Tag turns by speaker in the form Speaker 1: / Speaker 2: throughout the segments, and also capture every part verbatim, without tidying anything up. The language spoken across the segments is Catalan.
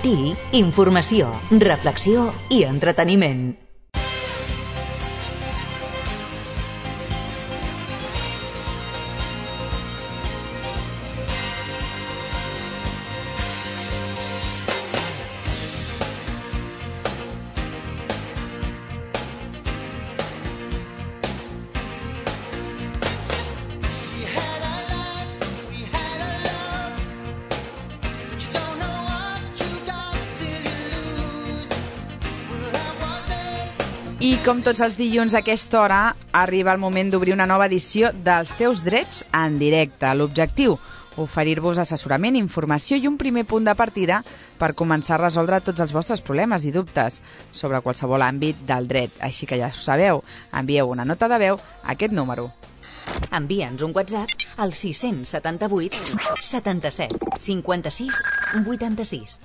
Speaker 1: matí, informació, reflexió i entreteniment.
Speaker 2: I com tots els dilluns a aquesta hora, arriba el moment d'obrir una nova edició dels Teus Drets en directe. L'objectiu, oferir-vos assessorament, informació i un primer punt de partida per començar a resoldre tots els vostres problemes i dubtes sobre qualsevol àmbit del dret. Així que ja ho sabeu, envieu una nota de veu a aquest número.
Speaker 1: Envia'ns un WhatsApp al sis set vuit setanta-set cinquanta-sis vuitanta-sis.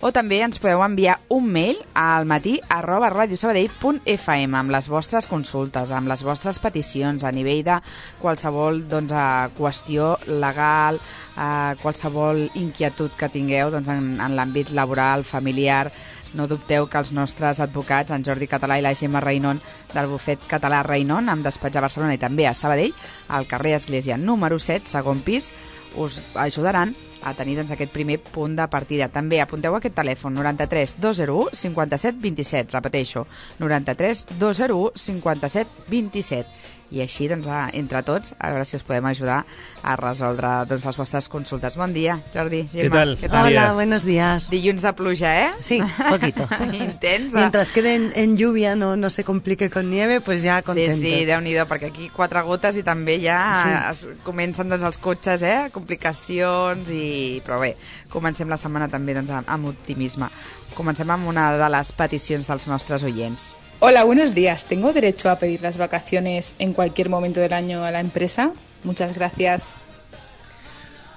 Speaker 2: O també ens podeu enviar un mail al matí arroba radiosabadell punt f m amb les vostres consultes, amb les vostres peticions a nivell de qualsevol doncs, qüestió legal, eh, qualsevol inquietud que tingueu doncs, en, en l'àmbit laboral, familiar. No dubteu que els nostres advocats, en Jordi Català i la Gemma Reinon, del bufet català Reinon, amb despatx a Barcelona i també a Sabadell, al carrer Església número set, segon pis, us ajudaran a tenir doncs, aquest primer punt de partida. També apunteu aquest telèfon, noranta-tres dos zero u cinquanta-set vint-i-set, repeteixo, noranta-tres dos zero u cinquanta-set vint-i-set. I així, doncs, entre tots, a veure si us podem ajudar a resoldre doncs, les vostres consultes. Bon dia, Jordi, Gemma.
Speaker 3: ¿Qué tal?
Speaker 2: ¿Qué tal?
Speaker 4: Hola, buenos días.
Speaker 2: Dilluns de pluja, ¿eh?
Speaker 4: Sí, poquito.
Speaker 2: Intensa.
Speaker 4: Mientras quede en, en lluvia, no, no se complique con nieve, pues ya contentos.
Speaker 2: Sí, sí, Déu-n'hi-do, perquè aquí quatre gotes i també ja
Speaker 4: Sí.
Speaker 2: es comencen doncs, els cotxes, eh? Complicacions, i... però bé, comencem la setmana també doncs, amb, amb optimisme. Comencem amb una de les peticions dels nostres oients.
Speaker 5: Hola, buenos días. ¿Tengo derecho a pedir las vacaciones en cualquier momento del año a la empresa? Muchas gracias.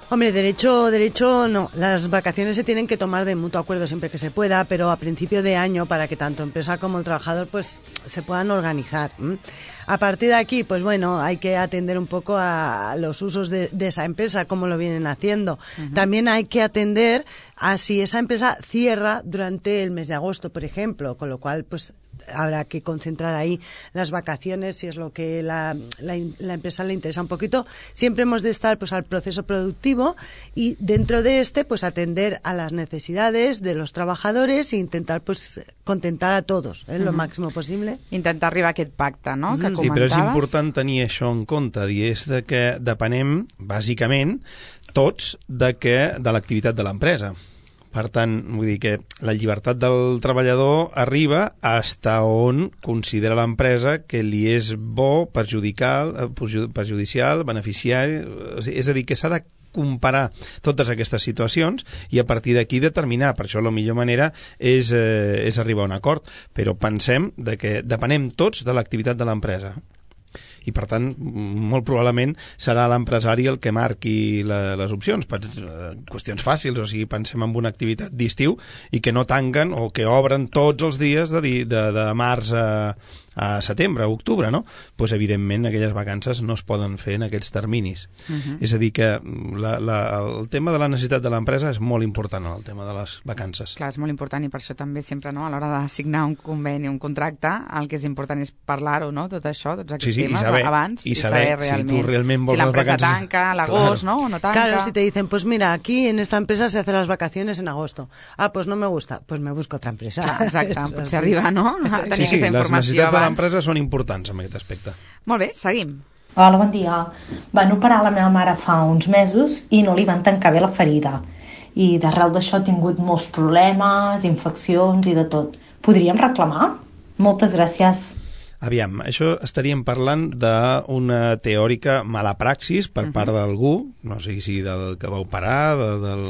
Speaker 4: Hombre, derecho, derecho no. Las vacaciones se tienen que tomar de mutuo acuerdo siempre que se pueda, pero a principio de año para que tanto empresa como el trabajador pues se puedan organizar. ¿m? A partir de aquí, pues bueno, hay que atender un poco a los usos de, de esa empresa, cómo lo vienen haciendo. Uh-huh. También hay que atender a si esa empresa cierra durante el mes de agosto, por ejemplo, con lo cual, pues habrá que concentrar ahí las vacaciones si es lo que la, la, la empresa le interesa un poquito. Siempre hemos de estar pues al proceso productivo y dentro de este pues atender a las necesidades de los trabajadores e intentar pues contentar a todos eh, uh-huh. lo máximo posible.
Speaker 2: Intentar arribar a aquest pacte, no?, que
Speaker 3: Sí, però és
Speaker 2: comentaves.
Speaker 3: important tenir això en compte, i és de que depenem, bàsicament, tots de, que, de l'activitat de l'empresa. Per tant, vull dir que la llibertat del treballador arriba hasta on considera l'empresa que li és bo, perjudicial, perjudicial beneficiari, és a dir, que s'ha de comparar totes aquestes situacions i a partir d'aquí determinar. Per això la millor manera és, eh, és arribar a un acord, però pensem de que depenem tots de l'activitat de l'empresa. I, per tant, molt probablement serà l'empresari el que marqui la, les opcions. Per, eh, qüestions fàcils, o sigui, pensem en una activitat d'estiu i que no tanquen o que obren tots els dies de, de, de març a, a setembre, a octubre, no? Pues, evidentment, aquelles vacances no es poden fer en aquests terminis. Uh-huh. És a dir, que la, la, el tema de la necessitat de l'empresa és molt important, el tema de les vacances.
Speaker 2: Clar, és molt important i per això també sempre, no, a l'hora de signar un conveni, un contracte, el que és important és parlar-ho, no?, tot això, tots aquests
Speaker 3: sí, sí,
Speaker 2: temes,
Speaker 3: i saber,
Speaker 2: abans,
Speaker 3: i saber,
Speaker 2: saber realment,
Speaker 3: si tu realment vols
Speaker 2: si l'empresa
Speaker 3: les vacances...
Speaker 2: tanca a l'agost,
Speaker 3: claro.
Speaker 2: ¿no?, o no tanca.
Speaker 4: Claro, si te dicen, pues mira, aquí en esta empresa se hacen las vacaciones en agosto. Ah, pues no me gusta, pues me busco otra empresa.
Speaker 2: Clar, exacte, potser arriba, no?, a tenir
Speaker 3: sí, sí,
Speaker 2: aquesta informació
Speaker 3: les necessitats
Speaker 2: abans.
Speaker 3: de l'empresa són importants en aquest aspecte.
Speaker 2: Molt bé, seguim.
Speaker 6: Hola, bon dia. Van operar la meva mare fa uns mesos i no li van tancar bé la ferida. I d'arrel d'això ha tingut molts problemes, infeccions i de tot. Podríem reclamar? Moltes gràcies.
Speaker 3: Aviam, això estaríem parlant d'una teòrica mala praxis per uh-huh. part d'algú, no sé si del que va operar, de, del,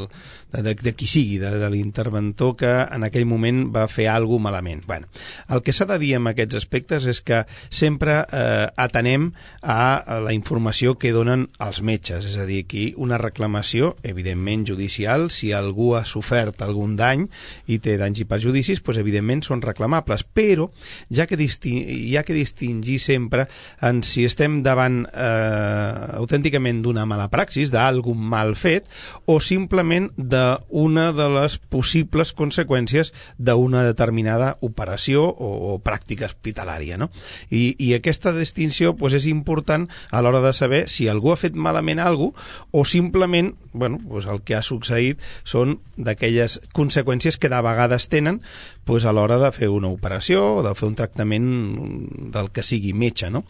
Speaker 3: de, de, de qui sigui, de, de l'interventor que en aquell moment va fer alguna cosa malament. Bueno, el que s'ha de dir en aquests aspectes és que sempre eh, atenem a la informació que donen els metges, és a dir, aquí una reclamació, evidentment judicial, si algú ha sofert algun dany i té danys i perjudicis, doncs evidentment són reclamables, però ja que disti- hi ha hi ha que distingir sempre en si estem davant eh, autènticament d'una mala praxis, d'algun mal fet, o simplement d'una de les possibles conseqüències d'una determinada operació o, o pràctica hospitalària, no? I, i aquesta distinció pues, és important a l'hora de saber si algú ha fet malament alguna cosa o simplement bueno, pues el que ha succeït són d'aquelles conseqüències que de vegades tenen pues, a l'hora de fer una operació o de fer un tractament del que sigui metge, no?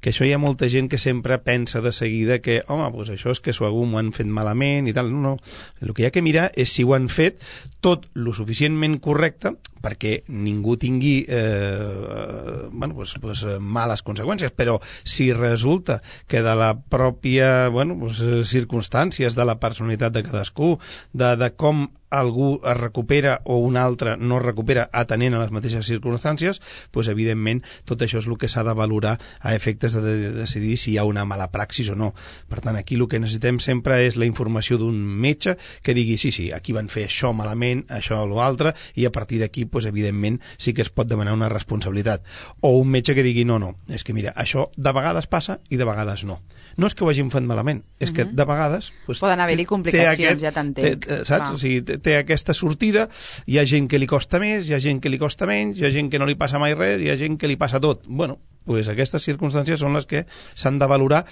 Speaker 3: Que això hi ha molta gent que sempre pensa de seguida que, home, pues això és que s'ho m'ho han fet malament i tal. No, no. El que hi ha que mirar és si ho han fet tot lo suficientment correcte perquè ningú tingui eh, bueno, pues, pues, males conseqüències, però si resulta que de la pròpia bueno, pues, circumstàncies de la personalitat de cadascú, de, de com algú es recupera o un altre no es recupera atenent a les mateixes circumstàncies, doncs evidentment tot això és el que s'ha de valorar a efectes de, de decidir si hi ha una mala praxis o no. Per tant, aquí el que necessitem sempre és la informació d'un metge que digui sí, sí, aquí van fer això malament, això o l'altre, i a partir d'aquí, doncs, evidentment, sí que es pot demanar una responsabilitat. O un metge que digui no, no, és que mira, això de vegades passa i de vegades no. No és que ho hagin fet malament, és que de vegades... Doncs,
Speaker 2: poden haver-hi complicacions,
Speaker 3: aquest,
Speaker 2: ja t'entenc.
Speaker 3: Té, saps? O sigui, té, té aquesta sortida, hi ha gent que li costa més, hi ha gent que li costa menys, hi ha gent que no li passa mai res, hi ha gent que li passa tot. Bueno, pues aquestes circumstàncies són les que s'han de valorar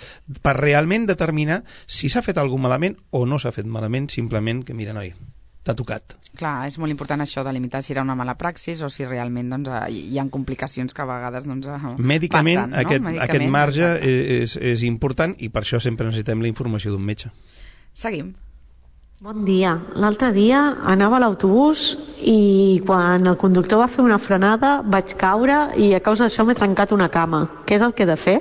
Speaker 3: per realment determinar si s'ha fet alguna malament o no s'ha fet malament, simplement que, mira, noi, t'ha tocat.
Speaker 2: Clar, és molt important això de limitar si era una mala praxis o si realment doncs, hi ha complicacions que a vegades doncs,
Speaker 3: Mèdicament,
Speaker 2: passen, no?
Speaker 3: aquest,
Speaker 2: Mèdicament,
Speaker 3: aquest marge
Speaker 2: exacte.
Speaker 3: és, és important i per això sempre necessitem la informació d'un metge.
Speaker 2: Seguim.
Speaker 7: Bon dia. L'altre dia anava a l'autobús i quan el conductor va fer una frenada vaig caure i a causa d'això m'he trencat una cama. Què és el que he de fer?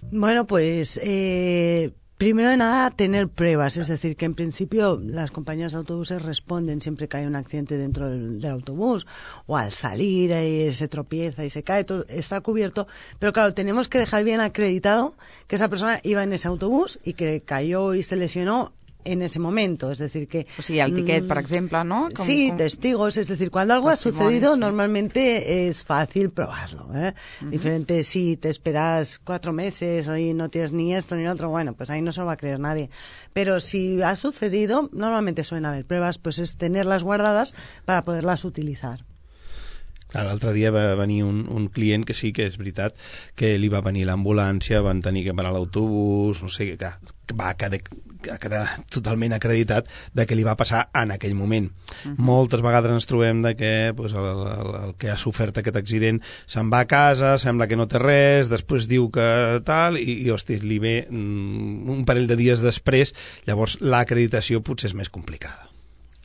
Speaker 4: Bueno, pues... Eh... Primero de nada, tener pruebas, es decir, que en principio las compañías de autobuses responden siempre que hay un accidente dentro del, del autobús o al salir eh, se tropieza y se cae, todo está cubierto, pero claro, tenemos que dejar bien acreditado que esa persona iba en ese autobús y que cayó y se lesionó en ese momento, es decir que...
Speaker 2: O sigui, el tiquet, per exemple, ¿no?
Speaker 4: Com, sí, com... testigos, es decir, cuando algo ha sucedido,
Speaker 2: sí.
Speaker 4: Normalmente es fácil probarlo, ¿eh? Uh-huh. Diferente si te esperas cuatro meses y no tienes ni esto ni lo otro, bueno, pues ahí no se lo va a creer nadie. Pero si ha sucedido, normalmente suelen haber pruebas, pues es tenerlas guardadas para poderlas utilizar.
Speaker 3: L'altre dia va venir un, un client que sí que és veritat que li va venir l'ambulància, van tenir que parar l'autobús, no sé, que va quedar, quedar totalment acreditat de què li va passar en aquell moment. Uh-huh. Moltes vegades ens trobem de que pues, el, el, el que ha sofert aquest accident se'n va a casa, sembla que no té res, després diu que tal, i, i hosti, li ve mm, un parell de dies després, llavors l'acreditació potser és més complicada.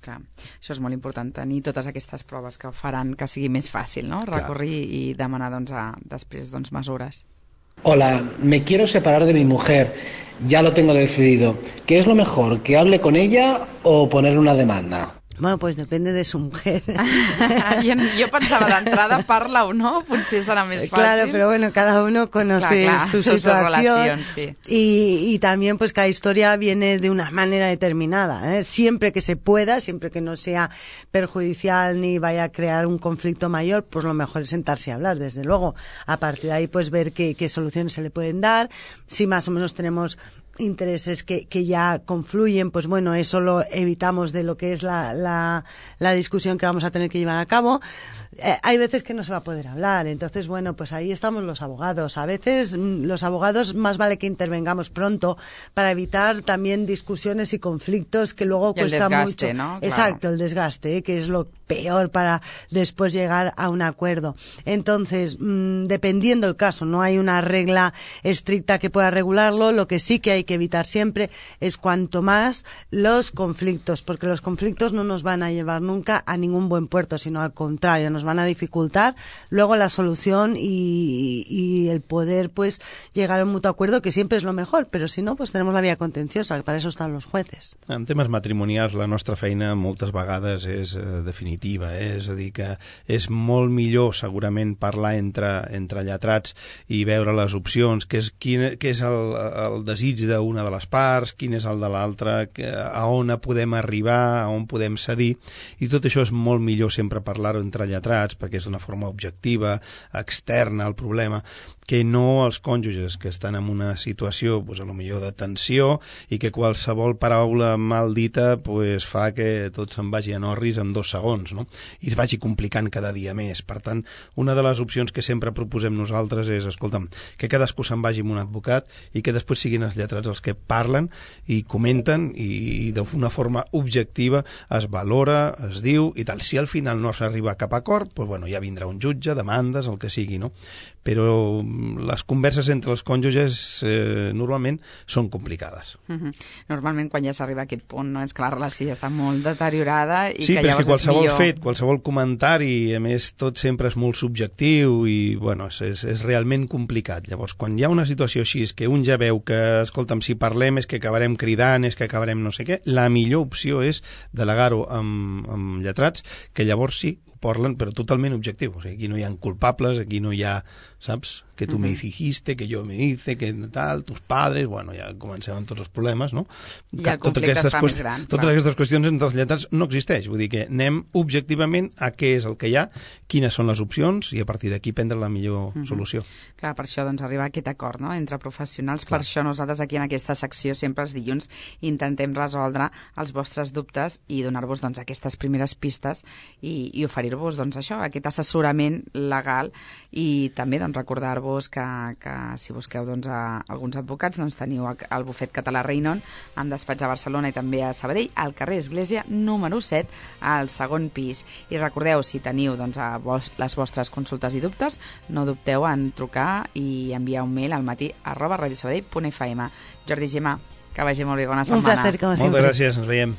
Speaker 2: Clar, això és molt important, tenir totes aquestes proves que faran que sigui més fàcil, ¿no? Recórrer i demanar doncs, a, després doncs, mesures.
Speaker 8: Hola, me quiero separar de mi mujer, ya lo tengo decidido. ¿Qué es lo mejor, que hable con ella o poner una demanda?
Speaker 4: Bueno, pues depende de su mujer.
Speaker 2: jo, jo pensava d'entrada, parla o no, potser serà més fàcil.
Speaker 4: Claro, pero bueno, cada uno conoce clar, clar, su situación sí. y, y también pues cada historia viene de una manera determinada, ¿eh? Siempre que se pueda, siempre que no sea perjudicial ni vaya a crear un conflicto mayor, pues lo mejor es sentarse a hablar, desde luego. A partir de ahí pues ver qué, qué soluciones se le pueden dar, si más o menos tenemos intereses que, que ya confluyen, pues bueno, eso lo evitamos de lo que es la, la, la discusión que vamos a tener que llevar a cabo. Eh, hay veces que no se va a poder hablar, entonces bueno, pues ahí estamos los abogados. A veces los abogados más vale que intervengamos pronto para evitar también discusiones y conflictos que luego
Speaker 2: y
Speaker 4: cuesta
Speaker 2: el desgaste,
Speaker 4: mucho.
Speaker 2: ¿no? Claro.
Speaker 4: Exacto, el desgaste, ¿eh? Que es lo peor para después llegar a un acuerdo. Entonces, mmm, dependiendo del caso, no hay una regla estricta que pueda regularlo, lo que sí que hay que evitar siempre es cuanto más los conflictos, porque los conflictos no nos van a llevar nunca a ningún buen puerto, sino al contrario, nos van a dificultar luego la solución y, y el poder pues llegar a un mutuo acuerdo, que siempre es lo mejor, pero si no, pues tenemos la vía contenciosa, que para eso están los jueces.
Speaker 3: En temes matrimonials, la nostra feina moltes vegades és eh, definir definitiva, eh? És a dir, que és molt millor segurament parlar entre, entre lletrats i veure les opcions, què és, quin, què és el, el desig d'una de les parts, quin és el de l'altra, a on podem arribar, a on podem cedir, i tot això és molt millor sempre parlar-ho entre lletrats, perquè és d'una forma objectiva, externa al problema, que no els cònjuges que estan en una situació, pues, a lo millor de tensió, i que qualsevol paraula mal dita pues, fa que tot se'n vagi a norris en dos segons, no? I es vagi complicant cada dia més. Per tant, una de les opcions que sempre proposem nosaltres és, escolta'm, que cadascú se'n vagi amb un advocat i que després siguin els lletrats els que parlen i comenten i, i d'una forma objectiva es valora, es diu i tal. Si al final no s'arriba a cap acord, pues, bueno, ja vindrà un jutge, demandes, el que sigui, no? Però les converses entre els cònjuges eh, normalment són complicades.
Speaker 2: Uh-huh. Normalment quan ja s'arriba a aquest punt, no? És que la relació ja està molt deteriorada i
Speaker 3: sí,
Speaker 2: que
Speaker 3: però és
Speaker 2: llavors
Speaker 3: que qualsevol
Speaker 2: és millor...
Speaker 3: fet, qualsevol comentari, a més tot sempre és molt subjectiu i bueno, és, és, és realment complicat. Llavors, quan hi ha una situació així, és que un ja veu que, escolta'm, si parlem és que acabarem cridant, és que acabarem no sé què, la millor opció és delegar-ho amb, amb lletrats, que llavors sí, parlen, però totalment objectiu. O sigui, aquí no hi ha culpables, aquí no hi ha, saps, que tu uh-huh. me dijiste, que yo me hice, que tal, tus padres, bueno, ja comencem amb tots els problemes, no?
Speaker 2: I el conflicte es fa més gran.
Speaker 3: Totes clar. Aquestes qüestions entre els lletrats no existeix, vull dir que anem objectivament a què és el que hi ha, quines són les opcions i a partir d'aquí prendre la millor uh-huh. solució.
Speaker 2: Clar, per això doncs arriba aquest acord, no?, entre professionals.
Speaker 3: Clar.
Speaker 2: Per això nosaltres aquí en aquesta secció sempre els dilluns intentem resoldre els vostres dubtes i donar-vos doncs aquestes primeres pistes i, i oferir-vos doncs això, aquest assessorament legal i també doncs recordar-vos que, que si busqueu doncs, a alguns advocats doncs, teniu el bufet català Reinon amb despatx a Barcelona i també a Sabadell al carrer Església número set al segon pis. I recordeu, si teniu doncs, a vos, les vostres consultes i dubtes, no dubteu en trucar i enviar un mail al matí arroba radiosabadell punt f m. Jordi, Gemma, que vagi molt bé, bona setmana.
Speaker 4: Un placer, com sempre.
Speaker 3: Moltes gràcies, ens veiem.